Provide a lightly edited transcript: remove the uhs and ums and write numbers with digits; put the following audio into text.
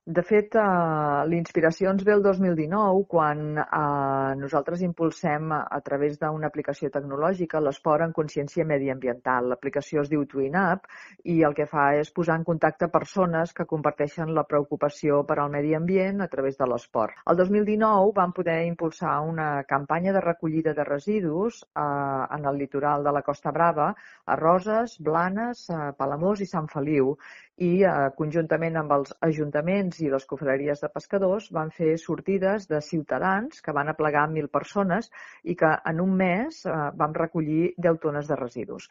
De fet, la inspiració ens ve el 2019 quan nosaltres impulsem a través d'una aplicació tecnològica l'esport en consciència mediambiental. L'aplicació es diu TwinUp i el que fa és posar en contacte persones que comparteixen la preocupació per al medi ambient a través de l'esport. El 2019 vam poder impulsar una campanya de recollida de residus en el litoral de la Costa Brava, a Roses, Blanes, Palamós i Sant Feliu, i conjuntament amb els ajuntaments i les confraries de pescadors van fer sortides de ciutadans que van aplegar 1.000 persones i que en un mes vam recollir 10 tones de residus.